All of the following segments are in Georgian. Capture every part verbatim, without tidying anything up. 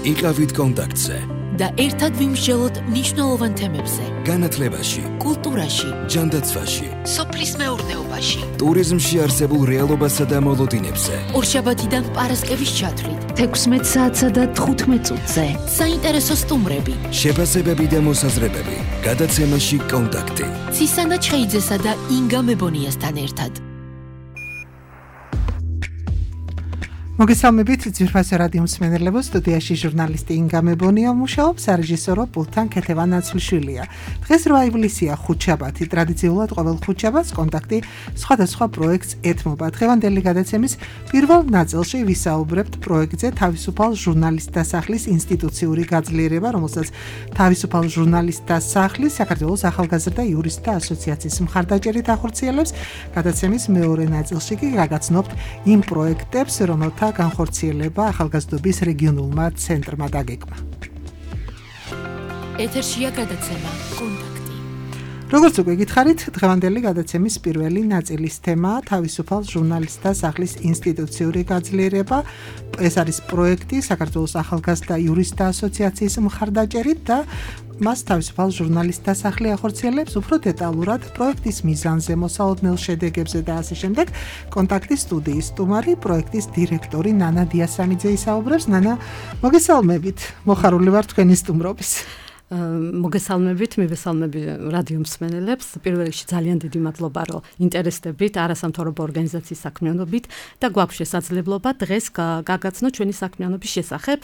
იყავით კონტაქტზე და ერთად ვიმსჯელოთ მნიშვნელოვან თემებზე. განათლებაში, კულტურაში, ჯანდაცვაში, სოფლის მეურნეობაში, ტურიზმში არსებულ რეალობასა და მოლოდინებზე. ორშაბათიდან პარასკევის ჩათვლით, თექვსმეტ საათსა და თხუთმეტ წუთზე. საინტერესო სტუმრები, შეფასებები და მოსაზრებები. გადაცემაში კონტაქტი. ცისანა ჩხეიძესა და ინგა მებონიასთან ერთად. მოგესალმებით ძვირფასო რადიო მსმენელებო, სტუდიაში ჟურნალისტი ინგა მებონია მუშაობს, რეჟისორო პულთან ქეთევან ნაცვლიშვილია. დღეს რვა ივლისია, ხუთშაბათი, ტრადიციულად ყოველ ხუთშაბათს კონტაქტი სხვადასხვა პროექტს ეთმობა. დღევანდელი გადაცემის პირველ ნაწილში ვისაუბრებთ პროექტზე თავისუფალ ჟურნალისტთა სახლის ინსტიტუციური გაძლიერება, რომელსაც თავისუფალ ჟურნალისტთა სახლის საქართველოს ახალგაზრდა იურისტთა ასოციაციის მხარდაჭერით ახორციელებს. გადაცემის მეორე ნაწილში კი გაგაცნობთ იმ პროექტებს, რომელთა განხორციელება ახალგაზრდობის რეგიონულმა ცენტრმა დაგეგმა. ეთერშია გადაცემა კონტაქტი. როგორც უკვე გითხარით, დღევანდელი გადაცემის პირველი ნაწილის თემაა თავისუფალ ჟურნალისტთა სახლის ინსტიტუციური გაძლიერება. ეს არის პროექტი საქართველოს ახალგაზრდა იურისტთა ასოციაციის მხარდაჭერით და მას თავისუფალ ჟურნალისტთა სახლი ახორციელებს. უფრო დეტალურად პროექტის მიზანზე, მოსალოდნელ შედეგებზე და ასე შემდეგ კონტაქტის სტუდიის სტუმარი, პროექტის დირექტორი ნანა დიასამიძე ისაუბრებს. ნანა, მოგესალმებით. მოხარული ვარ თქვენი სტუმრობის. მოგესალმებით, მივესალმები რადიო მსმენელებს. პირველ რიგში ძალიან დიდი მადლობა, რომ ინტერესდებით არასამთავრობო ორგანიზაციის საქმიანობით და გვაქვს შესაძლებლობა დღეს გაგაცნოთ ჩვენი საქმიანობის შესახებ,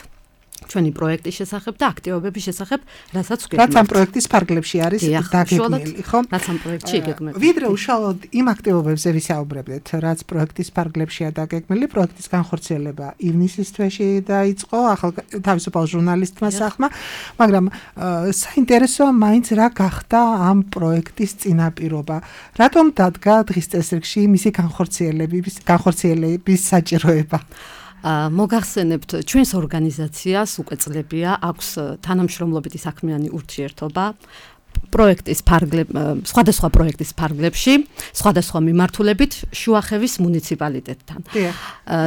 ჩვენი პროექტის შესახებ და აქტივობების შესახებ, რასაც ვგეგმავთ. რაც ამ პროექტის ფარგლებში არის დაგეგმილი, ხო? რაც ამ პროექტში იგეგმება. ვიდრე უშუალოდ იმ აქტივობებზე ვისაუბრებდეთ, რაც პროექტის ფარგლებშია დაგეგმილი, პროექტის განხორციელება ივნისის თვეში დაიწყო ახალ თავისუფალ ჟურნალისტმა სახლმა, მაგრამ საინტერესოა მაინც რა გახდა ამ პროექტის წინაპირობა. რატომ დადგა დღის წესრიგში მისი განხორციელების განხორციელების საჭიროება? მოგახსენებთ, ჩვენს ორგანიზაციას უკვე წლებია აქვს თანამშრომლობითი საქმიანი ურთიერთობა პროექტის ფარგლებ სხვადასხვა პროექტის ფარგლებში, სხვადასხვა მიმართულებით შუახევის მუნიციპალიტეტთან.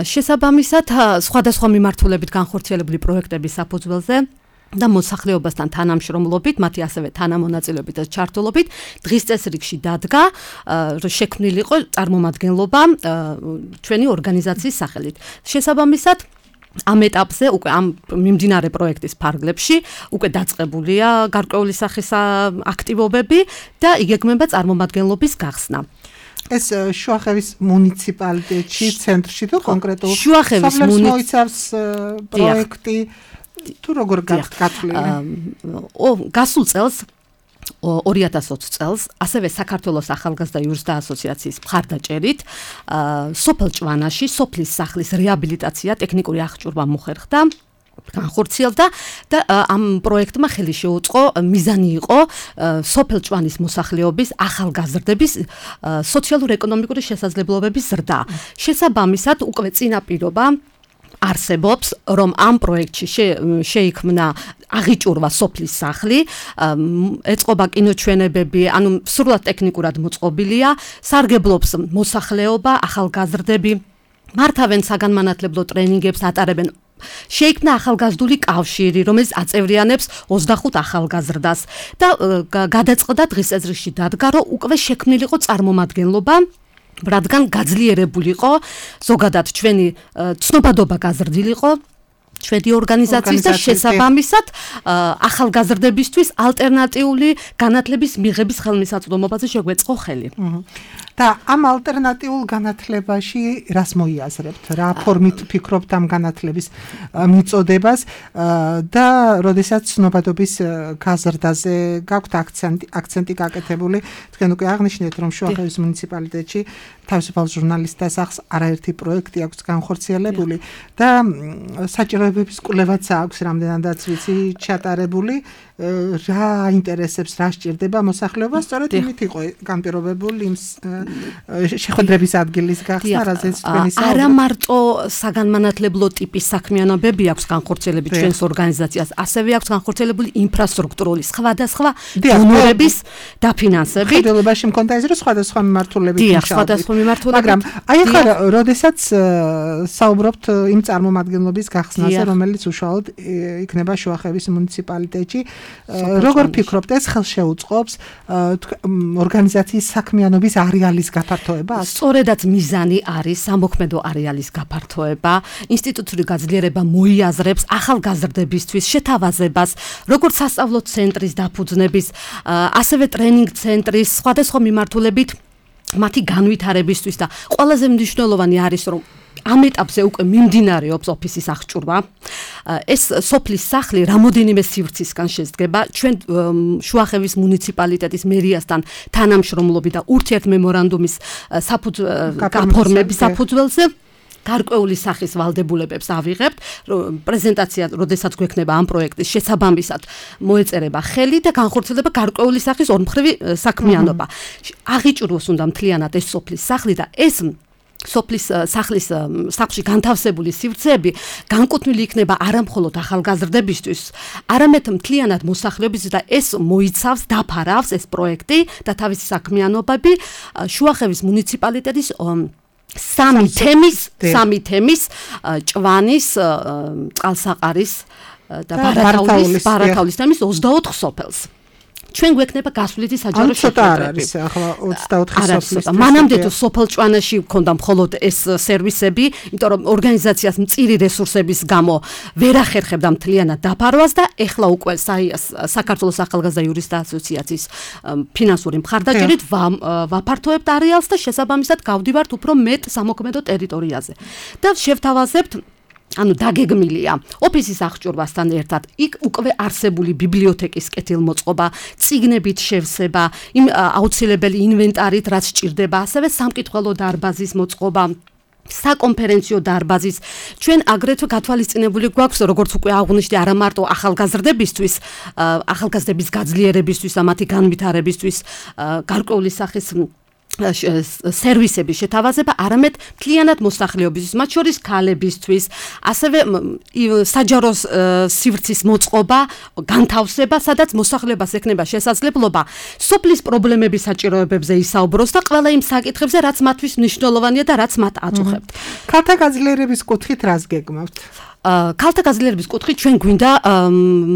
შესაბამისად, სხვადასხვა მიმართულებით განხორციელებული პროექტების საფუძველზე და მოსახლეობასთან თანამშრომლობით, მათი ასევე თანამონაწილეობით და ჩართულობით დღის წესრიგში დადგა, შექმნილიყო წარმომადგენლობა ჩვენი ორგანიზაციის სახელით. შესაბამისად, ამ ეტაპზე უკვე ამ მიმდინარე პროექტის ფარგლებში უკვე დაწყებულია გარკვეული სახის აქტივობები და იგეგმება წარმომადგენლობის გახსნა. ეს შუახევის მუნიციპალიტეტში, ცენტრში თუ კონკრეტულად შუახევის მოიცავს პროექტი თუ როგორ გათვლილი? გასულ წელს ორი ათას ოცი წელს ასევე საქართველოს ახალგაზრდა იურისტთა ასოციაციის მხარდაჭერით სოფელ ჭვანაში სოფლის სახლის რეაბილიტაცია ტექნიკური აღჭურვა მოხერხდა, განხორციელდა და ამ პროექტმა ხელი შეუწყო, მიზანი იყო სოფელ ჭვანის მოსახლეობის ახალგაზრდების სოციალურ-ეკონომიკური შესაძლებლობების ზრდა. შესაბამისად, უკვე წინაპირობა არსებობს, რომ ამ პროექტში შეიქმნა აღიჭურვა სოფლის სახლი, ეწყობა კინოჩვენებები, ანუ სრულად ტექნიკურად მოწყობილია, სარგებლობს მოსახლეობა, ახალგაზრდები, მართავენ საგანმანათლებლო ტრენინგებს, ატარებენ. შეიქმნა ახალგაზრდული კავშირი, რომელიც აწევრიანებს ოცდახუთ ახალგაზრდას და გადაწყდა დღის წესრიგში დადგა, რომ უკვე შექმნილიყო წარმომადგენლობა, რადგან გაძლიერებულიყო ზოგადად ჩვენი ცნობადობა გაზრდილიყო ჩვენი ორგანიზაციის და შესაბამისად ახალგაზრდებისთვის ალტერნატიული განათლების მიღების ხელმისაწვდომობაზე შეგვეწყო ხელი. და ამ ალტერნატიულ განათლებაში რას მოიაზრებთ? რა ფორმით ფიქრობთ ამ განათლების მიწოდებას და როდესაც ცნობადობის გაზრდაზე გაქვთ აქცენტი აქცენტი გაკეთებული, თქვენ უკვე აღნიშნეთ, რომ შუახევის მუნიციპალიტეტში თავისუფალ ჟურნალისტთა სახლს არაერთი პროექტი აქვს განხორციელებული და საჭიროებების კვლევაც აქვს რამდენადაც ვიცი ჩატარებული. რა ინტერესებს, რა სჭირდება მოსახლეობას, სწორედ იმით იყო განპირობებული იმ შეხვედრების ადგილის გახსნა, რაზეც თქვენი საუბარი. არა მარტო საგანმანათლებლო ტიპის საქმიანობები აქვს განხორციელებული ჩვენს ორგანიზაციას, ასევე აქვს განხორციელებული ინფრასტრუქტურული სხვადასხვა დონორების დაფინანსებით. ხელოვნებაში მქონდა ეს რომ სხვადასხვა მიმართულებით მუშაობთ. სხვადასხვა მიმართულებით. მაგრამ აი ახლა როდესაც საუბრობთ იმ წარმომადგენლობის გახსნაზე, რომელიც უშუალოდ იქნება შუახევის მუნიციპალიტეტში, როგორ ფიქრობთ, ეს ხელშეუწყობს ორგანიზაციის საქმიანობის არეალის გაფართოებას? სწორედაც მიზანი არის სამოქმედო არეალის გაფართოება, ინსტიტუციური გაძლიერება მოიაზრებს ახალგაზრდებისთვის შეთავაზებას, როგორც სასწავლო ცენტრის დაფუძნების, ასევე ტრენინგ ცენტრის სხვადასხვა მიმართულებით მათი განვითარებისთვის და ყველაზე მნიშვნელოვანი არის, რომ ამ ეტაპზე უკვე მიმდინარეობს ოფისის აღჭურვა. ეს სოფლის სახლი რამოდენიმე სივრცისგან შედგება. ჩვენ შუახევის მუნიციპალიტეტის მერიასთან თანამშრომლობით და ურთიერთმემორანდუმის გაფორმების საფუძველზე გარკვეული სახის ვალდებულებებს ავიღებთ. პრეზენტაცია, როდესაც გვექნება ამ პროექტის შესაბამისად, მოეწერება ხელი და განხორციელდება გარკვეული სახის ორმხრივი საქმიანობა. აღიჭურვოს უნდა მთლიანად ეს სოფლის სახლი და ეს სოფლის სახლის სახლში განთავსებული სივრცეები განკუთვნილი იქნება არა მხოლოდ ახალგაზრდებისთვის, არამედ მთლიანად მოსახლეობისთვის და ეს მოიცავს, დაფარავს ეს პროექტი და თავისი საქმიანობები შუახევის მუნიციპალიტეტის სამი თემის, სამი თემის ჭვანის, წყალსაყარის და ბარათაულის, ბარათაულის თემის ოცდაოთხ სოფელს. ჩვენ გვექნება გასვლითი საჯარო შეხვედრები. ახლა ოცდაოთხ სოფლის. მანამდე თუ სოფელ ჭვანაში მქონდა მხოლოდ ეს სერვისები, იმიტომ რომ ორგანიზაციას მწირი რესურსების გამო ვერ ახერხებდა მთლიანად დაფარვას და ეხლა უკვე საქართველოს ახალგაზრდა იურისტთა ასოციაციის ფინანსური მხარდაჭერით ვაფართოებთ არეალს და შესაბამისად გავდივართ უფრო მეტ სამოქმედო ტერიტორიაზე. და შევთავაზებთ ანუ დაგეგმილია ოფისის აღჭურვასთან ერთად იქ უკვე არსებული ბიბლიოთეკის კეთილმოწყობა, წიგნებით შევსება, იმ აუცილებელი ინვენტარით, რაც სჭირდება, ასევე სამკითხველო დარბაზის მოწყობა, საკონფერენციო დარბაზის. ჩვენ აგრეთვე გათვალისწინებული გვაქვს, როგორც უკვე აღვნიშნე, არა მარტო ახალგაზრდებისთვის, ახალგაზრდების გაძლიერებისთვის და მათი განვითარებისთვის გარკვეული სახის სერვისების შეთავაზება, არამედ მთლიანად მოსახლეობისთვის, მათ შორის ქალებისთვის, ასევე საჯარო სივრცის მოწყობა, განთავსება, სადაც მოსახლეობას ექნება შესაძლებლობა სოფლის პრობლემების საჭიროებებზე ისაუბროს და ყველა იმ საკითხებზე, რაც მათთვის მნიშვნელოვანია და რაც მათ აწუხებთ. ქალთა გაძლიერების კუთხით რას გეგმავთ? ქალთა გაძლიერების კუთხით ჩვენ გვინდა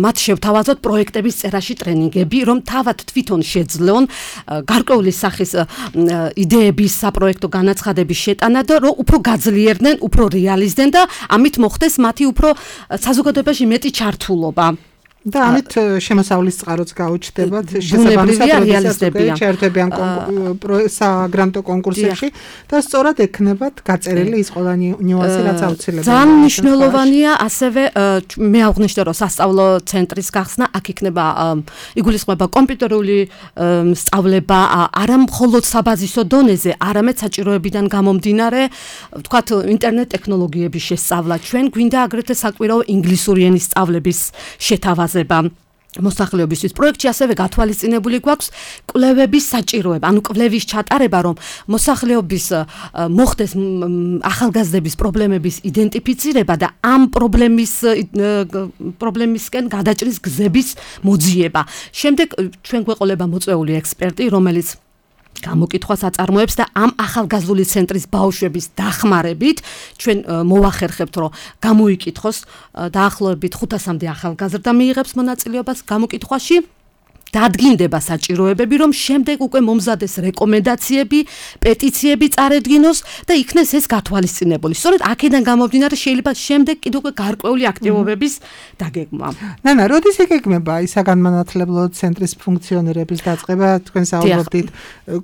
მათ შევთავაზოთ პროექტების წერაში ტრენინგები, რომ თავად თვითონ შეძლონ გარკვეული სახის იდეების საპროექტო განაცხადების შეტანა და რომ უფრო გაძლიერდნენ, უფრო რეალიზდნენ და ამით მოხდეს მათი უფრო საზოგადოებაში მეტი ჩართულობა. და ამით შემოსავლის წყაროც გაუჩნდებათ შესაბამისად რეალიზდებიან ჩართებიან საგრანტო კონკურსებში და სწორად ექნებათ გაწერილი ის ყველა ნიუანსი რაც აუცილებელია. ძალიან მნიშვნელოვანია ასევე მე აღვნიშნე რომ სასწავლო ცენტრის გახსნა, აქ იქნება იგულისხმება კომპიუტერული სწავლება არა მხოლოდ საბაზისო დონეზე, არამედ საჭიროებიდან გამომდინარე, ვთქვათ, ინტერნეტ ტექნოლოგიების შესწავლა. ჩვენ გვინდა აგრეთვე საკვირაო ინგლისური ენის სწავლების შეთავაზება მოსახლეობისთვის. პროექტში ასევე გათვალისწინებული გვაქვს კვლევების საჭიროება, ანუ კვლევის ჩატარება, რომ მოსახლეობის მოხდეს ახალგაზრდების პრობლემების იდენტიფიცირება და ამ პრობლემის პრობლემისკენ გადაჭრის გზების მოძიება. შემდეგ ჩვენ გვეყოლება მოწვეული ექსპერტი, რომელიც გამოკითხვას აწარმოებს და ამ ახალგაზრდული ცენტრის ბავშვების დახმარებით ჩვენ მოვახერხებთ, რომ გამოიკითხოს დაახლოებით ხუთასამდე ახალგაზრდა მიიღებს მონაწილეობას გამოკითხვაში. დადგინდება საჭიროებები, რომ შემდეგ უკვე მომზადეს რეკომენდაციები, პეტიციები წარედგინოს და იქნეს ეს გათვალისწინებული. სწორედ აქედან გამომდინარე შეიძლება შემდეგ კიდევ უკვე გარკვეული აქტივობების დაგეგმვა. ნანა, როდის იგეგმება ის საგანმანათლებლო ცენტრის ფუნქციონირების დაწყება? თქვენ საუბრობთ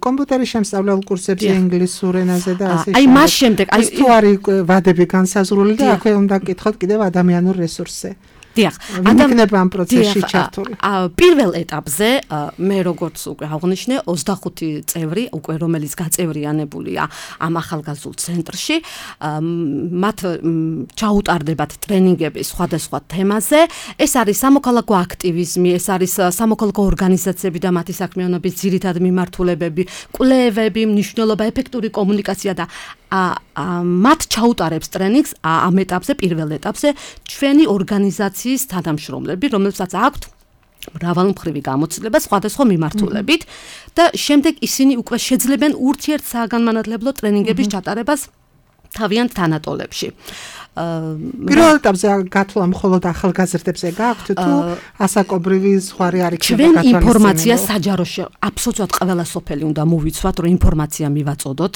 კომპიუტერის შემსწავლელ კურსებზე ინგლისურ ენაზე და ასე შემდეგ. აი მას შემდეგ, აი თუ არის ვადები განსაზღვრული და აქვე უნდა გკითხოთ კიდევ ადამიანურ რესურსზე. დიახ, ადამიანებმა ამ პროცესში ჩართული. პირველ ეტაპზე მე როგორც უკვე აღნიშნე ოცდახუთი წევრი უკვე რომელიც გაწევრიანებულია ამ ახალგაზრდულ ცენტრში, მათ ჩაუტარდებათ ტრენინგები სხვადასხვა თემაზე. ეს არის სამოქალაქო აქტივიზმი, ეს არის სამოქალაქო ორგანიზაციები და მათი საქმიანობის ძირითადი მიმართულებები, კვლევები, მნიშვნელობა, ეფექტური კომუნიკაცია და მათ ჩაუტარებს ტრენინგს ამ ეტაპზე, პირველ ეტაპზე ჩვენი ორგანიზაციის თანამშრომლები, რომელსაც აქვთ მრავალმხრივი გამოცდილება სხვადასხვა მიმართულებით და შემდეგ ისინი უკვე შეძლებენ ურთიერთსაგანმანათლებლო ტრენინგების ჩატარებას თავიანთ თანატოლებში. პირველ ეტაპზე გათვლა მხოლოდ ახალგაზრდებზე გაქვთ თუ ასაკობრივი ზღვარი არ იქნება ჩვენ ინფორმაცია საჯაროში აბსოლუტურად ყველა სოფელი უნდა მოვიცვათ, რომ ინფორმაცია მივაწოდოთ.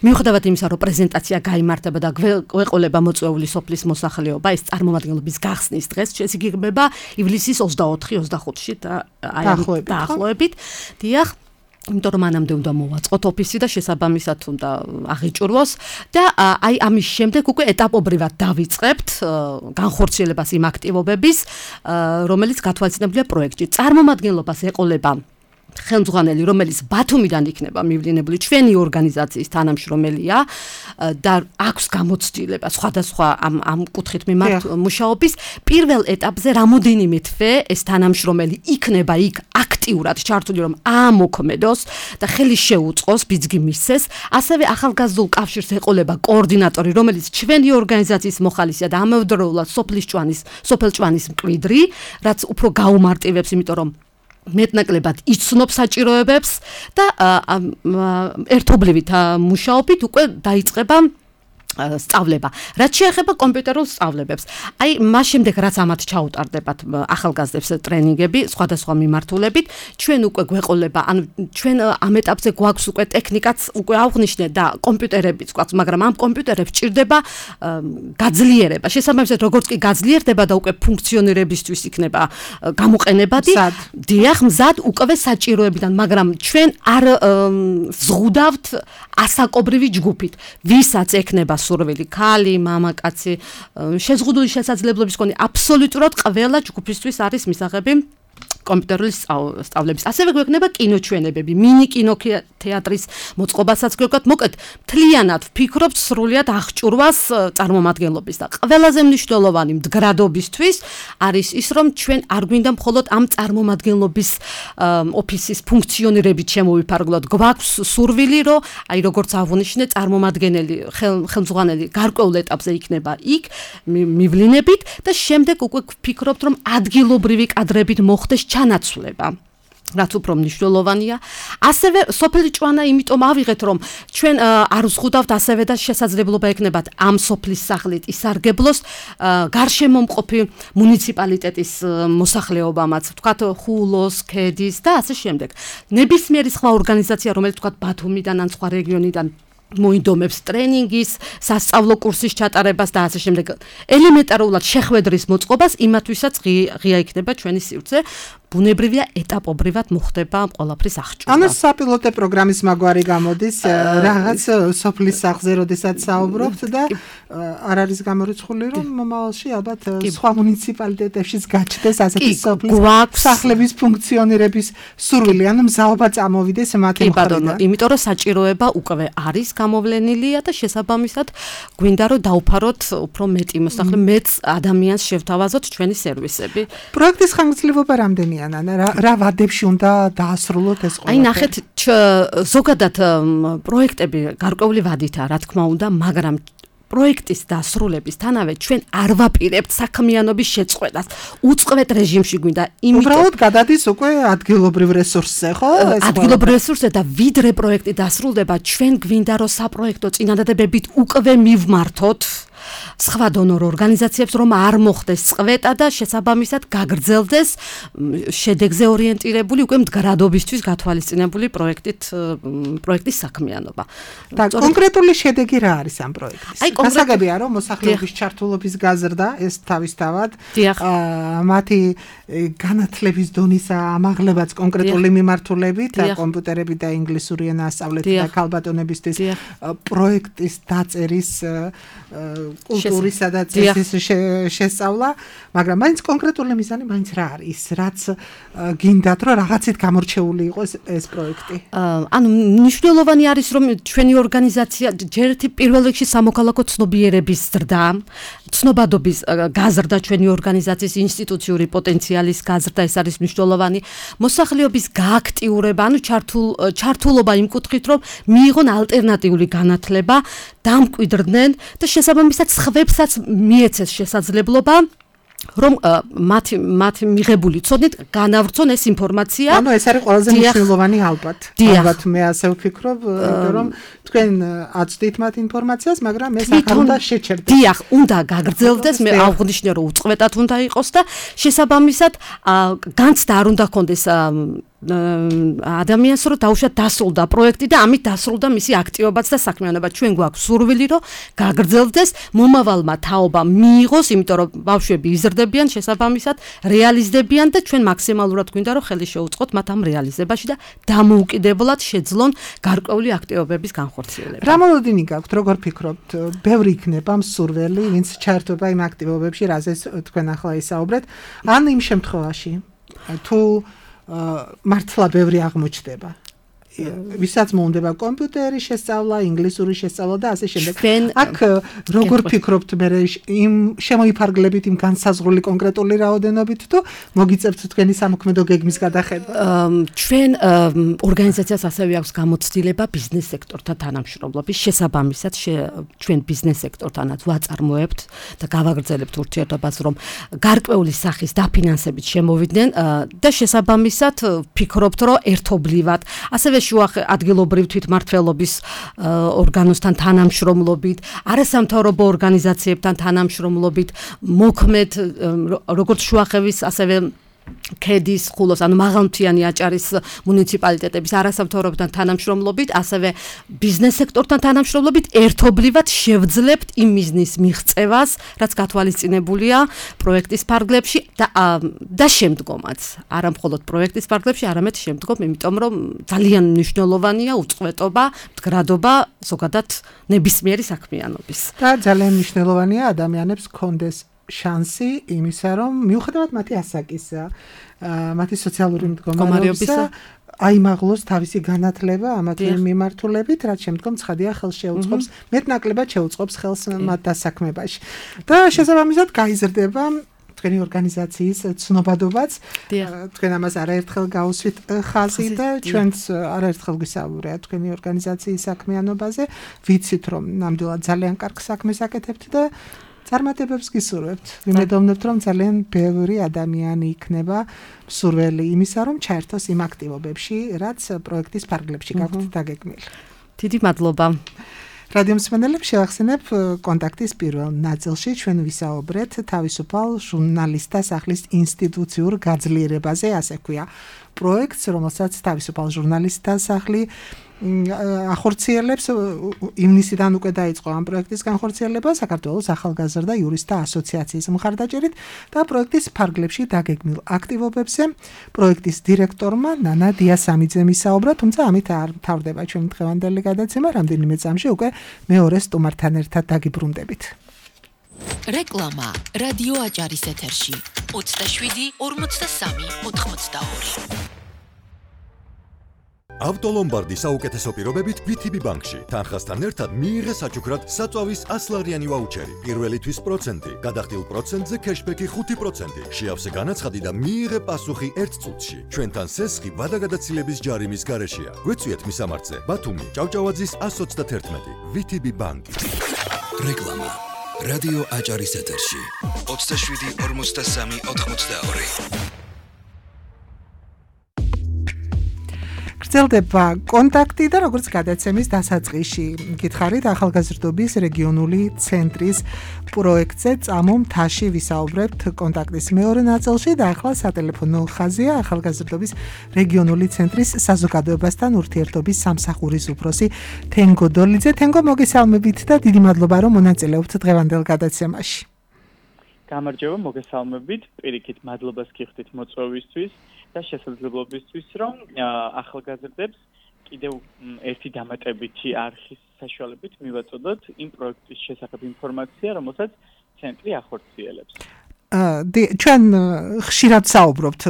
მიუხედავად იმისა, რომ პრეზენტაცია გაიმართება და გვეყოლება მოწვეული სოფლის მოსახლეობა, ეს წარმომადგენლობის გახსნის დღეს შესაძლებლობა ივლისის ოცდაოთხი ოცდახუთში და აი დაახლოებით. დიახ, იმიტომ რომ მანამდე უნდა მოვაწყოთ ოფისი და შესაბამისად უნდა აღიჭურვოს და აი ამის შემდეგ უკვე ეტაპობრივად დავიწყებთ განხორციელებას იმ აქტივობების, რომელიც გათვალისწინებულია პროექტში. წარმომადგენლობას ეყოლება ხელმძღვანელი, რომელიც ბათუმიდან იქნება მივლინებული, ჩვენი ორგანიზაციის თანამშრომელია და აქვს გამოცდილება სხვადასხვა ამ ამ კუთხით მიმართ მუშაობის. პირველ ეტაპზე რამოდენიმე თვე ეს თანამშრომელი იქნება იქ აქტიურად ჩართული, რომ აამოქმედოს და ხელი შეუწყოს, ბიძგი მისცეს. ასევე ახალგაზრდულ კავშირს ეყოლება კოორდინატორი, რომელიც ჩვენი ორგანიზაციის მოხალისეა და ამავდროულად სოფლის ჭვანის, სოფელ ჭვანის მკვიდრი, რაც უფრო გაუმარტივებს, იმიტომ რომ მეტნაკლებად იცნობს საჭიროებებს და ერთობლივით მუშაობით უკვე დაიწყება სწავლება. რაც შეეხება კომპიუტერულ სწავლებებს, აი მას შემდეგ რაც ამათ ჩაუტარდებათ ახალგაზრდებს ტრენინგები სხვადასხვა მიმართულებით, ჩვენ უკვე გვეყოლება, ანუ ჩვენ ამ ეტაპზე გვაქვს უკვე ტექნიკაც უკვე აღნიშნე და კომპიუტერებიც გვაქვს, მაგრამ ამ კომპიუტერებს ჭირდება გაძლიერება. შესაბამისად, როგორც კი გაძლიერდება და უკვე ფუნქციონირებისთვის იქნება გამოყენებადი, დიახ, მზად უკვე საჭიროებიდან, მაგრამ ჩვენ არ ვზღუდავთ ასაკობრივი ჯგუფით, ვისაც ექნება სურვილი, ქალი, მამაკაცი, შეზღუდული შესაძლებლობის მქონე აბსოლუტურად ყველა ჯგუფისთვის არის მისაღები კომპიუტერული სწავლების. ასევე გვექნება კინოჩვენებები, მინი კინოთეატრის მოწყობასაც გვექნათ. მოკლედ, მთლიანად ვფიქრობთ სრულიად აღჭურვას წარმომადგენლობის და ყველაზე მნიშვნელოვანი მდგრადობისთვის არის ის, რომ ჩვენ არ გვინდა მხოლოდ ამ წარმომადგენლობის ოფისის ფუნქციონირებით შემოვიფარგლოთ. გვაქვს სურვილი, რომ აი როგორც აღნიშნე, წარმომადგენელი, ხელმძღვანელი გარკვეულ ეტაპზე იქნება იქ მივლინებით და შემდეგ უკვე ვფიქრობთ, რომ ადგილობრივი კადრებით მოხდეს ჩანაცვლება. რაც უფრო მნიშვნელოვანია. ასევე სოფელი ჭვანა იმიტომ ავიღეთ, რომ ჩვენ არ ვზღუდავთ ასევე და შესაძლებლობა ექნებათ ამ სოფლის სახლით ისარგებლოს გარშემომყოფი მუნიციპალიტეტის მოსახლეობამაც, ვთქვათ ხულოს, ქედის და ასე შემდეგ. ნებისმიერი სხვა ორგანიზაცია, რომელიც ვთქვათ ბათუმიდან ან სხვა რეგიონიდან მოინდომებს ტრენინგის, სასწავლო კურსის ჩატარებას და ასე შემდეგ. ელემენტარულად შეხვედრის მოწყობას იმათვისაც ღია იქნება ჩვენი სივრცე. ბუნებრივია ეტაპობრივად მოხდება ყველაფრის აღჭურვა. ანუ საპილოტო პროგრამის მაგვარი გამოდის რაღაც სოფლის სახლზე, როდესაც საუბრობთ და არ არის გამორიცხული, რომ მომავალში ალბათ სხვა მუნიციპალიტეტებშიც გაჩნდეს ასეთი სოფლის სახლების ფუნქციონირების სურვილი, ანუ მზაობა წამოვიდეს მათი მხრიდან. იმიტომ რომ საჭიროება უკვე არის გამოვლენილია და შესაბამისად გვინდა რომ დავფაროთ უფრო მეტი მოსახლე, მეც ადამიანს შევთავაზოთ ჩვენი სერვისები. პროექტის ხანგრძლივობა რამდენია? რა ვადებში უნდა დაასრულოთ ეს ყველაფერი? აი ნახეთ, ზოგადად პროექტები გარკვეული ვადითაა, რა თქმა უნდა, მაგრამ პროექტის დასრულებისთანავე ჩვენ არ ვაპირებთ საქმიანობის შეწყვეტას. უწყვეტ რეჟიმში გვინდა. უბრალოდ გადადის უკვე ადგილობრივ რესურსზე, ხო? ადგილობრივ რესურსზე და ვიდრე პროექტი დასრულდება, ჩვენ გვინდა რომ საპროექტო წინადადებებით უკვე მივმართოთ სხვა დონორ ორგანიზაციებს, რომ არ მოხდეს წყვეტა და შესაბამისად გაგრძელდეს შედეგზე ორიენტირებული უკვე მდგრადობისთვის გათვალისწინებული პროექტით პროექტის საქმიანობა. და კონკრეტული შედეგი რა არის ამ პროექტის? გასაგებია, რომ მოსახლეობის ჩართულობის გაზრდა ეს თავისთავად მათი განათლების დონის ამაღლებაც კონკრეტული მიმართულებით და კომპიუტერები და ინგლისური ენა ასწავლეთ და ქალბატონებისთვის პროექტის დაწერის კულტურისა და წესის შესწავლა, მაგრამ მაინც კონკრეტული მიზანი მაინც რა არის, რაც გინდათ რომ რაღაცით გამორჩეული იყოს ეს პროექტი. ანუ მნიშვნელოვანი არის რომ ჩვენი ორგანიზაცია ჯერ ერთი პირველ რიგში სამოქალაქო ცნობიერების ზრდა, ცნობადობის გაზრდა ჩვენი ორგანიზაციის ინსტიტუციური პოტენციალის გაზრდა ეს არის მნიშვნელოვანი. მოსახლეობის გააქტიურება, ანუ ჩართულ ჩართულობა იმ კუთხით რომ მიიღონ ალტერნატიული განათლება, დამკვიდრდნენ და შესაბამისად სხვებსაც მიეცეს შესაძლებლობა რომ მათი მათი მიღებული ცოდნით განავრცონ ეს ინფორმაცია. ანუ ეს არის ყველაზე მნიშვნელოვანი ალბათ. ალბათ მე ასე ვფიქრობ, რომ თქვენ აწვდით მათ ინფორმაციას, მაგრამ ეს აქ უნდა შეჩერდეს. დიახ, უნდა გაგრძელდეს, მე აღვნიშნე რომ უწყვეტად უნდა იყოს და შესაბამისად განცდა არ უნდა ქონდეს ადამიანს რომ დაუშვათ დასრულდა პროექტი და ამით დასრულდა მისი აქტივობაც და საქმიანობა. ჩვენ გვაქვს სურვილი რომ გაგრძელდეს, მომავალმა თაობა მიიღოს, იმიტომ რომ ბავშვები იზრდებიან, შესაბამისად რეალიზდებიან და ჩვენ მაქსიმალურად გვინდა რომ ხელი შეუწყოთ მათ ამ რეალიზებაში და დამოუკიდებლად შეძლონ გარკვეული აქტივობების განხორციელება. რა მოლოდინი გაქვთ, როგორ ფიქრობთ, ბევრი იქნება მსურველი, ვინც ჩაერთვება იმ აქტივობებში, რაზეც თქვენ ახლა ისაუბრეთ, ან იმ შემთხვევაში თუ მართლა ბევრი აღმოჩნდება. ვისაც მოუნდება კომპიუტერის შესწავლა, ინგლისური შესწავლა და ასე შემდეგ. აქ როგორ ფიქრობთ მე იმ შემოიფარგლებით იმ განსაზღვრული კონკრეტული რაოდენობით თუ მოგიწევთ თქვენი სამოქმედო გეგმის გადახედვა? ჩვენ ორგანიზაციას ასევე აქვს გამოცდილება ბიზნეს სექტორთან თანამშრომლობის შესაბამისად ჩვენ ბიზნეს სექტორთანაც ვაწარმოებთ და გავაგრძელებთ ურთიერთობას რომ გარკვეული სახის დაფინანსებით შემოვიდნენ და შესაბამისად ფიქრობთ რომ ერთობლივად ასევე შუა ადგილობრივ თვითმმართველობის ორგანოსთან თანამშრომლობით, არასამთავრობო ორგანიზაციებთან თანამშრომლობით, მოქმედ როგორც შუახევის, ასევე ქედის, ხულოს, ანუ მაღალმთიანი აჭარის მუნიციპალიტეტების არასამთავრობოთან თანამშრომლობით, ასევე ბიზნეს სექტორთან თანამშრომლობით ერთობლივად შევძლებთ იმ მიზნის მიღწევას, რაც გათვალისწინებულია პროექტის ფარგლებში და და შემდგომაც. არა მხოლოდ პროექტის ფარგლებში, არამედ შემდგომ, იმიტომ რომ ძალიან მნიშვნელოვანია უწყვეტობა, მდგრადობა, ზოგადად ნებისმიერი საქმიანობის. და ძალიან მნიშვნელოვანია ადამიანებს კონდეს შანსი იმისა, რომ მიუხედავად მათი ასაკისა, მათი სოციალური მდგომარეობისა, აიმაღლოს თავისი განათლება ამათი მიმართულებით, რაც შემდგომ ცხადია ხელს შეუწყობს, მეტნაკლებად შეუწყობს ხელს მათ დასაქმებაში. და შესაბამისად გაიზრდება თქვენი ორგანიზაციის ცნობადობაც. თქვენ ამას არაერთხელ გაუსვით ხაზი და ჩვენც არაერთხელ გვისაუბრეთ თქვენი ორგანიზაციის საქმიანობაზე. ვიცით, რომ ნამდვილად ძალიან კარგ საქმეს აკეთებთ და წარმატებებს გისურვებთ. ვიმედოვნებთ, რომ ძალიან ბევრი ადამიანი იქნება მსურველი იმისა, რომ ჩაერთოს იმ აქტივობებში, რაც პროექტის ფარგლებში გაქვთ დაგეგმილი. დიდი მადლობა. რადიო მსმენელებს შევახსენებ კონტაქტის პირველ ნაწილში ჩვენ ვისაუბრეთ თავისუფალ ჟურნალისტთა სახლის ინსტიტუციურ გაძლიერებაზე, ასე ქვია პროექტს, რომელსაც თავისუფალ ჟურნალისტთა სახლი ახორციელებს. ივნისიდან უკვე დაიწყო ამ პროექტის განხორციელება საქართველოს ახალგაზრდა იურისტთა ასოციაციის მხარდაჭერით და პროექტის ფარგლებში დაგეგმილ აქტივობებზე პროექტის დირექტორმა ნანა დიასამიძემ ისაუბრა, თუმცა ამით არ მთავრდება ჩვენი დღევანდელი გადაცემა, რამდენიმე წამში უკვე მეორე სტუმართან ერთად დაგიბრუნდებით. რეკლამა რადიო აჭარის ეთერში ოცდაშვიდი ორმოცდასამი ოთხმოცდაორი. ავტოლომბარდი საუკეთესო პირობებით ვი თი ბი ბანკში. თანხასთან ერთად მიიღე საჩუქრად საწვავის ასლარიანი ვაუჩერი. პირველი თვის პროცენტი, გადახდილ პროცენტზე ქეშბექი ხუთი პროცენტი. შეავსე განაცხადი და მიიღე პასუხი ერთ წუთში. ჩვენთან სესხი ვადაგადაცილების ჯარიმის გარეშეა. გვეწვიეთ მისამართზე. ბათუმი, ჭავჭავაძის ას ოცდაათერთმეტი. ვი თი ბი ბანკი. რეკლამა რადიო აჭარის ეთერში ოცდაშვიდი ორმოცდასამი ოთხმოცდაორი. გრძელდება კონტაქტი და როგორც გადაცემის დასაწყისში გითხარით ახალგაზრდობის რეგიონული ცენტრის პროექტზე წამო მთაში ვისაუბრებთ კონტაქტის მეორე ნაწილში და ახლა სატელეფონო ხაზია ახალგაზრდობის რეგიონული ცენტრის საზოგადოებასთან ურთიერთობის სამსახურის უფროსი თენგო დოლიძე. თენგო, მოგესალმებით და დიდი მადლობა რომ მონაწილეობთ დღევანდელ გადაცემაში. გამარჯობა, მოგესალმებით, პირიქით მადლობას გიხდით მოწვევისთვის და შესაძლებლობისთვის, რომ ახალგაზრდებს კიდევ ერთი დამატებითი არხის საშუალებით მივაწოდოთ იმ პროექტის შესახებ ინფორმაცია, რომელსაც ცენტრი ახორციელებს. ჩვენ ხშირად საუბრობთ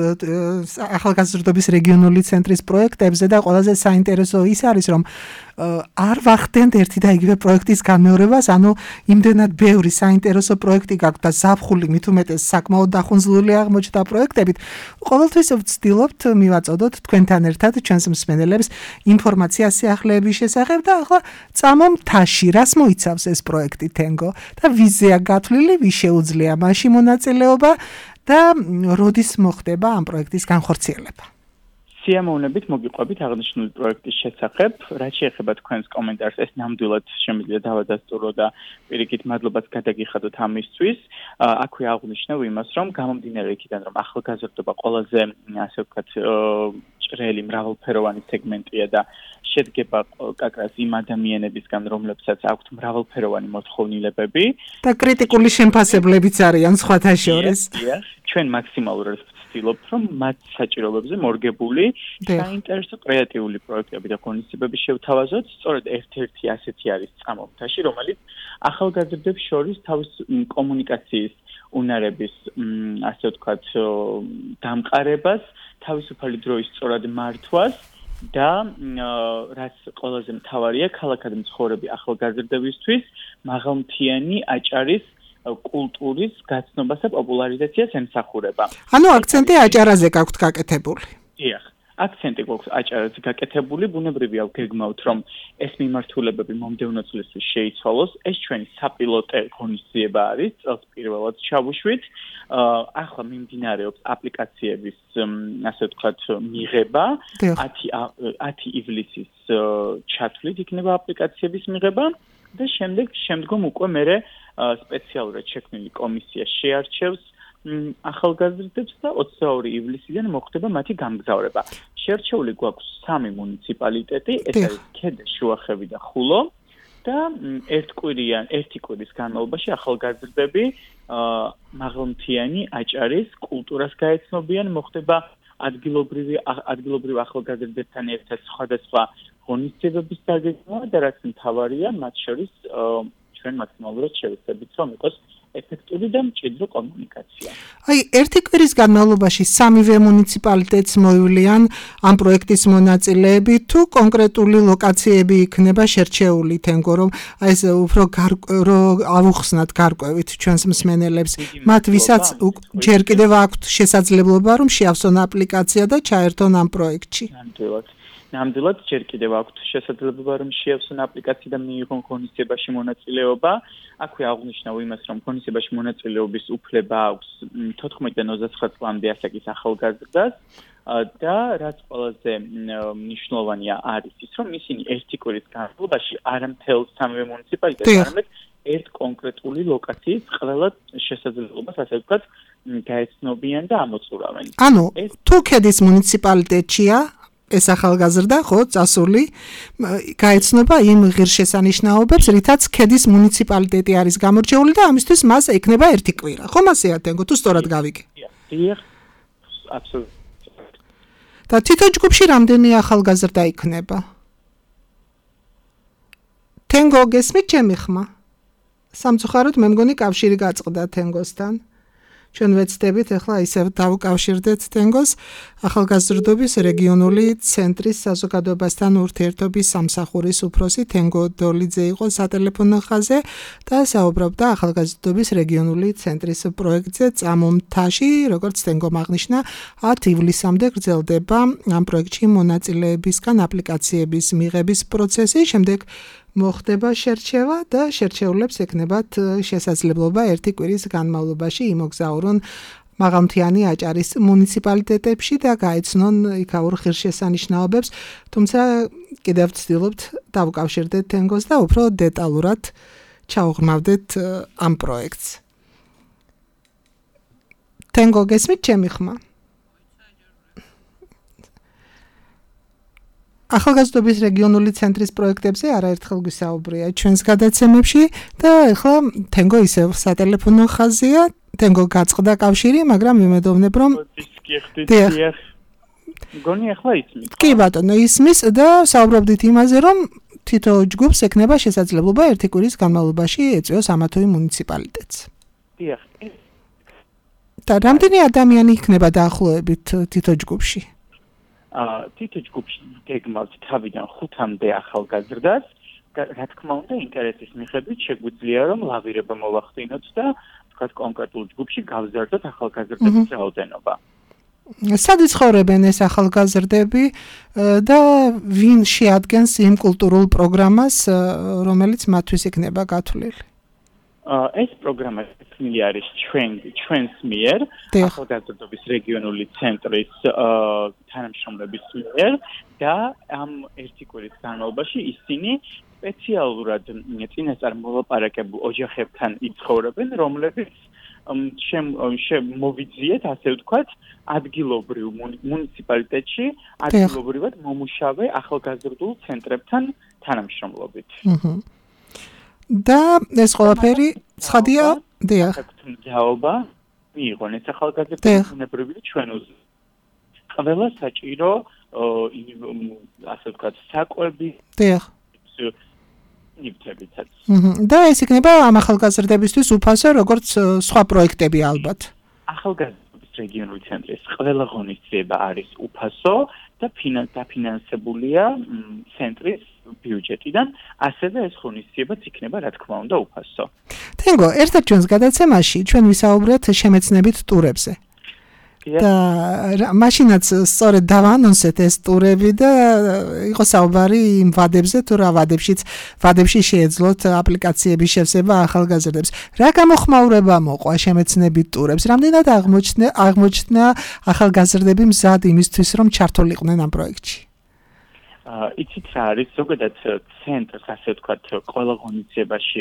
ახალგაზრდობის რეგიონული ცენტრის პროექტებზე და ყველაზე საინტერესო ის არის, რომ არ ვახდენთ ერთი და იგივე პროექტის განმეორებას, ანუ იმდენად ბევრი საინტერესო პროექტი გაქვთ და ზაფხული მით უმეტეს საკმაოდ დახუნძლული აღმოჩნდა პროექტებით. ყოველთვის ვცდილობთ მივაწოდოთ თქვენთან ერთად ჩვენს მსმენელებს ინფორმაცია სიახლეების შესახებ და ახლა წამო მთაში, რას მოიცავს ეს პროექტი თენგო და ვიზია გათვლილი, ვის შეუძლია მასში მონაწილეობა და როდის მოხდება ამ პროექტის განხორციელება. სიამოვნებით მოგიყვებით აღნიშნული პროექტის შესახებ. რაც შეეხება თქვენს კომენტარს, ეს ნამდვილად შემიძლია დავადასტურო და პირიქით მადლობას გადაგიხადოთ ამისთვის. აქვე აღვნიშნავ იმას, რომ გამომდინარე იქიდან, რომ ახალგაზრდობა ყველაზე, ასე ვთქვათ, ჭრელი მრავალფეროვანი სეგმენტია და შედგება კაკრას იმ ადამიანებისგან, რომლებსაც აქვთ მრავალფეროვანი მოთხოვნილებები და კრიტიკული შემფასებლებიც არიან სხვათა შორის. ჩვენ მაქსიმალურად ვცდილობთ, რომ მათ საჭიროებებზე მორგებული საინტერესო კრეატიული პროექტები და ღონისძიებები შევთავაზოთ. სწორედ ერთ-ერთი ასეთი არის წამომთაში, რომელიც ახალგაზრდებს შორის თავის კომუნიკაციის უნარების, ასე ვთქვათ, დამყარებას, თავისუფალი დროის სწორად მართვას და რაც ყველაზე მთავარია, ქალაქად მცხოვრები ახალგაზრდებისთვის მაღალმთიანი აჭარის კულტურის გაცნობასა პოპულარიზაციას ემსახურება. ანუ აქცენტი აჭარაზე გაქვთ გაკეთებული. დიახ, აქცენტი გვაქვს აჭარაზე გაკეთებული, ბუნებრივია ვგეგმავთ, რომ ეს მიმართულებები მომდევნო წლისთვის შეიცვალოს. ეს ჩვენი საპილოტე ღონისძიება არის, წელს პირველად ჩავუშვით. ახლა მიმდინარეობს აპლიკაციების, ასე ვთქვათ, მიღება. ათი ივლისის ჩათვლით იქნება აპლიკაციების მიღება და შემდეგ შემდგომ უკვე მერე სპეციალურად შექმნილი კომისია შეარჩევს ახალგაზრდებს და ოცდაორი ივლისიდან მოხდება მათი გამგზავრება. შეარჩეული გვაქვს სამი მუნიციპალიტეტი, ეს არის ქედა, შუახევი და ხულო და ერთკვირიან, ერთი კვირის განმავლობაში ახალგაზრდები მაღალმთიანი აჭარის კულტურას გაეცნობიან, მოხდება ადგილობრივი ადგილობრივ ახალგაზრდებთან ერთად სხვადასხვა ღონისძიებების დაგეგმვა და რაც მთავარია, მათ შორის ჩვენ მაქსიმალურად შევეცდებით, რომ იყოს ეფექტური და მჭიდრო კომუნიკაცია. აი, ერთი კვირის განმავლობაში სამივე მუნიციპალიტეტს მოივლიან ამ პროექტის მონაწილეები, თუ კონკრეტული ლოკაციები იქნება შერჩეული თენგო, რომ აი ეს უფრო ავუხსნათ გარკვევით ჩვენს მსმენელებს, მათ ვისაც ჯერ კიდევ აქვთ შესაძლებლობა, რომ შეავსონ აპლიკაცია და ჩაერთონ ამ პროექტში. ნამდვილად. ნამდვილად ჯერ კიდევ აქვთ შესაძლებლობა, რომ შეავსონ აპლიკაცია და მიიღონ ღონისძიებაში მონაწილეობა. აქვე აღვნიშნავ იმას, რომ ღონისძიებაში მონაწილეობის უფლება აქვს თოთხმეტიდან ოცდაცხრა წლამდე ასაკის ახალგაზრდას და რაც ყველაზე მნიშვნელოვანია არის ის, რომ ისინი ერთი კვირის განმავლობაში არა მთელ სამივე მუნიციპალიტეტს, არამედ ერთ კონკრეტული ლოკაციის ყველა შესაძლებლობას, ასე ვთქვათ, გაეცნობიან და ამოწურავენ. ანუ თუ ქედის მუნიციპალიტეტშია ეს ახალგაზრდა, ხო, წასული, გაეცნობა იმ ღირსშესანიშნაობებს, რითაც ქედის მუნიციპალიტეტი არის გამორჩეული და ამისთვის მას ექნება ერთი კვირა. ხომ ასეა თენგო, თუ სწორად გავიგე? დიახ, აბსოლუტურად. და თითო ჯგუფში რამდენი ახალგაზრდა იქნება? თენგო, გესმით ჩემი ხმა? სამწუხაროდ მე მგონი კავშირი გაწყდა თენგოსთან. ჩვენ ვეცდებით ახლა ისევ დავუკავშირდეთ თენგოს ახალგაზრდობის რეგიონული ცენტრის საზოგადოებასთან ურთიერთობის სამსახურის უფროსი თენგო დოლიძე იყო სატელეფონო ხაზზე და საუბრობდა ახალგაზრდობის რეგიონული ცენტრის პროექტზე წამომთაში, როგორც თენგომ აღნიშნა, ათი ივლისამდე გრძელდება ამ პროექტში მონაწილეებისგან აპლიკაციების მიღების პროცესი, შემდეგ მოხდება შერჩევა და შერჩეულებს ექნებათ შესაძლებლობა ერთი კვირის განმავლობაში იმოგზაურონ მაღალმთიანი აჭარის მუნიციპალიტეტებში და გაეცნონ იქაურ ღირსშესანიშნაობებს, თუმცა კიდევ ვცდილობთ დავუკავშირდეთ თენგოს და უფრო დეტალურად ჩავღრმავდეთ ამ პროექტს. თენგო, გესმით ჩემი ხმა? ახალგაზრდობის რეგიონული ცენტრის პროექტებზე არაერთხელ გვისაუბრია ჩვენს გადაცემებში და ახლა თენგო ისევ სატელეფონო ხაზია, თენგო გაწყდა კავშირი, მაგრამ ვიმედოვნებ, რომ მგონი ახლა ისმის. კი ბატონო, ისმის და საუბრობდით იმაზე, რომ თითო ჯგუფს ექნება შესაძლებლობა ერთი კვირის განმავლობაში ეწვიოს ამა თუ იმ მუნიციპალიტეტს. დიახ. და რამდენი ადამიანი იქნება დაახლოებით თითო ჯგუფში? აა თითო ჯგუფში გეგმავთ თავიდან ხუთამდე ახალგაზრდას. რა თქმა უნდა, ინტერესის მიხედვით შეგვიძლია რომ ლავირება მოვახდინოთ და თქვათ კონკრეტულ ჯგუფში გავზარდოთ ახალგაზრდების რაოდენობა. სად იცხოვრებენ ეს ახალგაზრდები და ვინ შეადგენს იმ კულტურულ პროგრამას, რომელიც მათთვის იქნება გათვლილი? ეს პროგრამა შექმნილი არის ჩვენ ჩვენს მიერ, ახალგაზრდობის რეგიონული ცენტრის თანამშრომლების მიერ და ამ ერთი კვირის განმავლობაში ისინი სპეციალურად წინასწარ მოლაპარაკებულ ოჯახებთან იცხოვრებენ, რომლებიც შემოვიძიეთ, ასე ვთქვათ, ადგილობრივ მუნიციპალიტეტში ადგილობრივად მომუშავე ახალგაზრდულ ცენტრებთან თანამშრომლობით. და ეს ყველაფერი ცხადია, დიახ. თუმცა მიიღონ ეს ახალგაზრდები ბუნებრივია ჩვენ უზრუნველყოფს. ყველა საჭირო ასე ვთქვათ, საკვები. დიახ. ნივთებიცაც. და ეს იქნება ამ ახალგაზრდებისთვის უფასო, როგორც სხვა პროექტები ალბათ. ახალგაზრდობის რეგიონული ცენტრის ყველა ღონისძიება არის უფასო და დაფინანსებულია ცენტრის ბიუჯეტიდან, ასევე ეს ღონისძიებაც იქნება, რა თქმა უნდა, უფასო. თენგო, ერთად ჩვენს გადაცემაში ჩვენ ვისაუბრეთ შემეცნებით ტურებზე. და მაშინაც სწორედ დავანონსეთ ეს ტურები და იყო საუბარი იმ ვადებზე, თუ რა ვადებშიც ვადებში შეეძლოთ აპლიკაციების შევსება ახალგაზრდებს. რა გამოხმაურება მოყვა შემეცნებით ტურებს? რამდენად აღმოჩნდა აღმოჩნდა ახალგაზრდები მზად იმისთვის, რომ ჩართულიყვნენ ამ პროექტში? იცით რა არის, ზოგადად ცენტრს, ასე ვთქვათ, ყველა ღონისძიებაში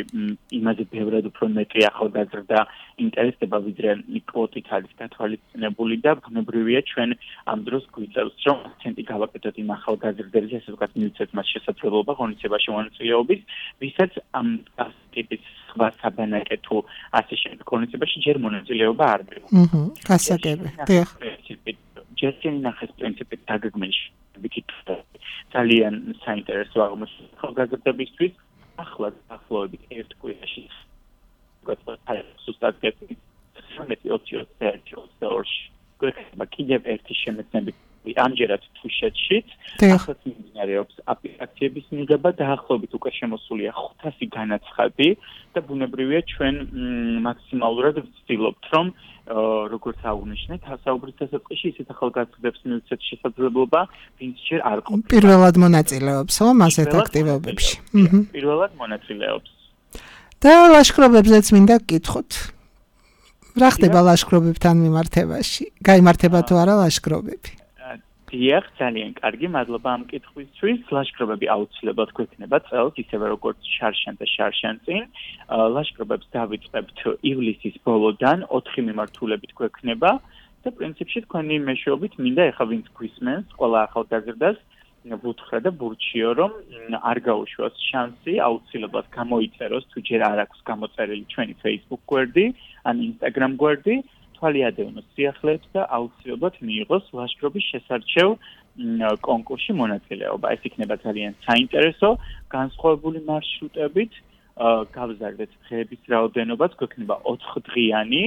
იმაზე ბევრად უფრო მეტი ახალგაზრდა ინტერესდება, ვიდრე კვოტით არის გათვალისწინებული და ბუნებრივია ჩვენ ამ დროს გვიწევს, რომ აქცენტი გავაკეთოთ იმ ახალგაზრდებზე, ასე ვთქვათ, მივცეთ მას შესაძლებლობა ღონისძიებაში მონაწილეობის, ვისაც ამ ტიპის სხვა საბანაკე თუ ასე შემდეგ ღონისძიებაში ჯერ მონაწილეობა არ მიიღო. აჰა, გასაგები. დიახ. ჯერ შენახეს პრინციპით დაგეგმილი ძალიან საინტერესო აღმოჩნდა ახალგაზრდებისთვის. ახლა ახლობით ერთ კვირაში სუსტად გეტყვი გვექნება კიდევ ერთი შემეცნებით ამჯერად თუშეთშიც ახლა მიმდინარეობს აპლიკაციების მიღება და ახლობით უკვე შემოსულია ხუთასი განაცხადი და ბუნებრივია ჩვენ მაქსიმალურად ვცდილობთ რომ როგორც აღნიშნეთ ასაუბრის დასაწყისში ისეთ ახალგაზრდებს მივცეთ შესაძლებლობა ვინც ჯერ არ ყოფილა პირველად მონაწილეობს ხო ასეთ აქტივობებში პირველად მონაწილეობს და ლაშქრობებზეც მინდა გკითხოთ რა ხდება ლაშქრობებთან მიმართებაში გაიმართება თუ არა ლაშქრობები დიახ, ძალიან კარგი, მადლობა ამ კითხვისთვის. ლაშქრობები აუცილებლად გვექნება წელს, ისევე როგორც შარშან და შარშანწინ. ლაშქრობებს დავიწყებთ ივლისის ბოლოდან, ოთხი მიმართულებით გვექნება და პრინციპში თქვენი მეშვეობით მინდა ეხა ვინც გვისმენს, ყველა ახალგაზრდას ვუთხრა და ვურჩიო, რომ არ გაუშვას შანსი, აუცილებლად გამოიწეროს, თუ ჯერ არ აქვს გამოწერილი ჩვენი Facebook გვერდი ან Instagram გვერდი. თვალი ადევნოს სიახლეებს და აუცილებლად მიიღოს ლაშქრობის შესარჩევ კონკურსში მონაწილეობა. ეს იქნება ძალიან საინტერესო, განსხვავებული მარშრუტებით, გავზარდეთ დღეების რაოდენობაც, გვექნება ოთხდღიანი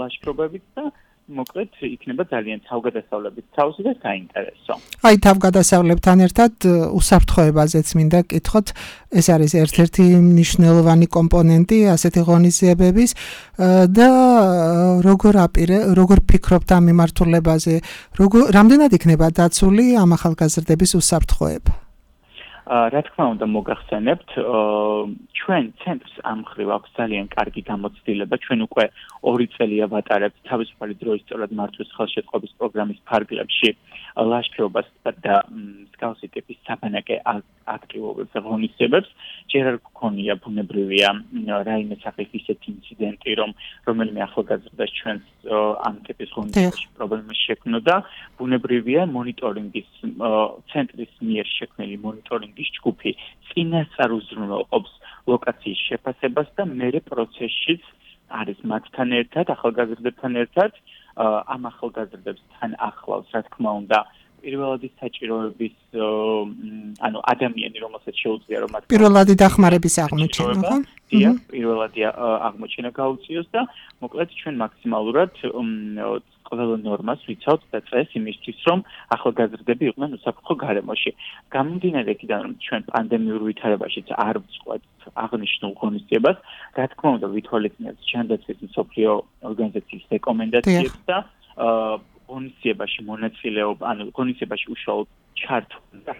ლაშქრობებით და მოკლედ იქნება ძალიან თავგადასავლებით თავსი და საინტერესო. აი თავგადასავლებთან ერთად უსაფრთხოებაზეც მინდა გკითხოთ, ეს არის ერთ-ერთი მნიშვნელოვანი კომპონენტი ასეთი ღონისძიებების და როგორ აპირე, როგორ ფიქრობთ ამ მიმართულებაზე, როგორ რამდენად იქნება დაცული ამ ახალგაზრდების უსაფრთხოება? რა თქმა უნდა მოგახსენებთ, ჩვენ ცენტრს ამ მხრივ აქვს ძალიან კარგი გამოცდილება. ჩვენ უკვე ორი წელია ვატარებთ თავისუფალი დროის სწორად მართვის ხელშეწყობის პროგრამის ფარგლებში ლაშქრობას და მსგავსი ტიპის საბანაკე აქტივობებს და ღონისძიებებს. ჯერ არ გქონია ბუნებრივია რაიმე სახის ისეთი ინციდენტი, რომ რომელიმე ახალგაზრდას ჩვენს ამ ტიპის ღონისძიებაში პრობლემა შექმნოდა. ბუნებრივია მონიტორინგის ცენტრის მიერ შექმნილი მონიტორინგის ჯგუფი წინასწარ უზრუნველყოფს ლოკაციის შეფასებას და მერე პროცესშიც არის მათთან ერთად, ახალგაზრდებთან ერთად, ამ ახალგაზრდებს თან ახლავს, რა თქმა უნდა, პირველადი საჭიროების ანუ ადამიანი რომელსაც შეუძლია რომ პირველადი დახმარების აღმოჩენა ხო? დიახ, პირველადი აღმოჩენა გაუწიოს და მოკლედ ჩვენ მაქსიმალურად ყველა ნორმას ვიცავთ და წეს იმისთვის რომ ახალგაზრდები იყვნენ უსაფრთხო გარემოში. გამომდინარე იქიდან რომ ჩვენ პანდემიურ ვითარებაშიც არ ვწყვეტ აღნიშნულ ღონისძიებას, რა თქმა უნდა ვითვალისწინებთ ჯანდაცვის მსოფლიო ორგანიზაციის რეკომენდაციებს და ღონისძიებაში მონაწილეობა, ანუ ღონისძიებაში უშუალოდ ჩართვა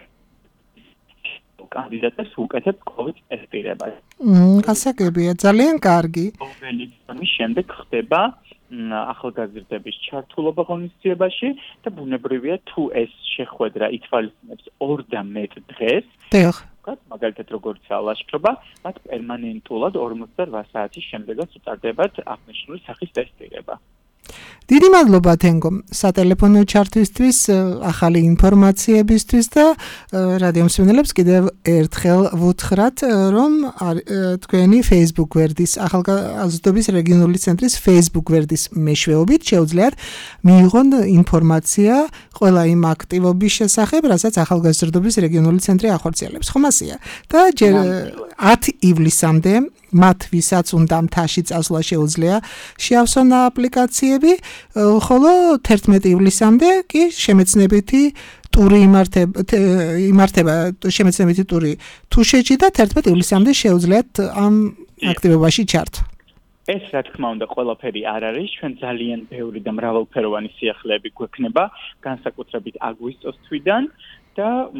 კანდიდატებს უკეთებს COVID ტესტირებას. გასაგებია, ძალიან კარგი. ამის შემდეგ ხდება ახალგაზრდების ჩართულობა ღონისძიებაში და ბუნებრივია თუ ეს შეხვედრა ითვალისწინებს ორ და მეტ დღეს. დიახ. მაგალითად როგორც ლაშქრობა, მათ პერმანენტულად ორმოცდაოთხ საათის შემდეგაც უტარდებათ აღნიშნული სახის ტესტირება. დიდი მადლობა თენგო სატელეფონო ჩართვისთვის, ახალი ინფორმაციებისთვის და რადიო მსმენელებს კიდევ ერთხელ ვუთხრათ, რომ თქვენი Facebook გვერდის ახალგაზრდობის რეგიონული ცენტრის Facebook გვერდის მეშვეობით შეუძლიათ მიიღონ ინფორმაცია ყველა იმ აქტივობის შესახებ, რასაც ახალგაზრდობის რეგიონული ცენტრი ახორციელებს. ხომასია და ჯერ ათი ივლისამდე მათ ვისაც უნდა მთაში წასვლა შეუძლია შეავსონ აპლიკაციები, ხოლო თერთმეტი ივლისამდე კი შემეცნებითი ტური იმართება იმართება შემეცნებითი ტური თუშეთში და თერთმეტი ივლისამდე შეუძლიათ ამ აქტივობაში ჩართვა. ეს რა თქმა უნდა ყველაფერი არ არის, ჩვენ ძალიან ბევრი და მრავალფეროვანი სიახლეები გვექნება, განსაკუთრებით აგვისტოს თვიდან და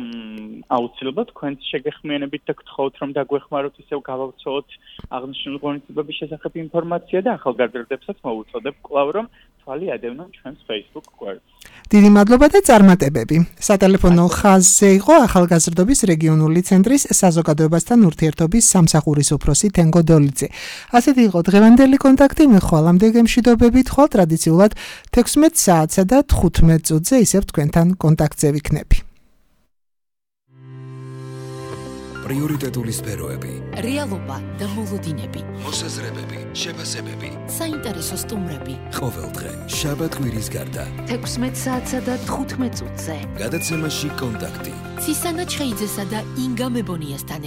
აუცილებლად თქვენს შეგეხმიანებით და გთხოვთ რომ დაგვეხმაროთ ისევ გავავრცელოთ აღნიშნული ღონისძიებების შესახებ ინფორმაცია და ახალგაზრდებსაც მოვუწოდებ კვლავ რომ თვალი ადევნონ ჩვენს Facebook გვერდს. დიდი მადლობა და წარმატებები. სატელეფონო ხაზზე იყო ახალგაზრდობის რეგიონული ცენტრის საზოგადოებასთან ურთიერთობის სამსახურის უფროსი თენგო დოლიძე. ასეთი იყო დღევანდელი კონტაქტი, მე ხვალამდე გემშვიდობებით, ხვალ ტრადიციულად თექვსმეტ საათსა და თხუთმეტ წუთზე ისევ თქვენთან კონტაქტზე ვიქნები. პრიორიტეტული სფეროები, რეალობა და მოლოდინები, მოსაზრებები, შეფასებები, საინტერესო სტუმრები. ყოველდღე შაბათ-კვირის გარდა თექვსმეტ საათსა და თხუთმეტ წუთზე. გადაცემაში კონტაქტი. ცისანა ჩხეიძესა და ინგა მებონიასთან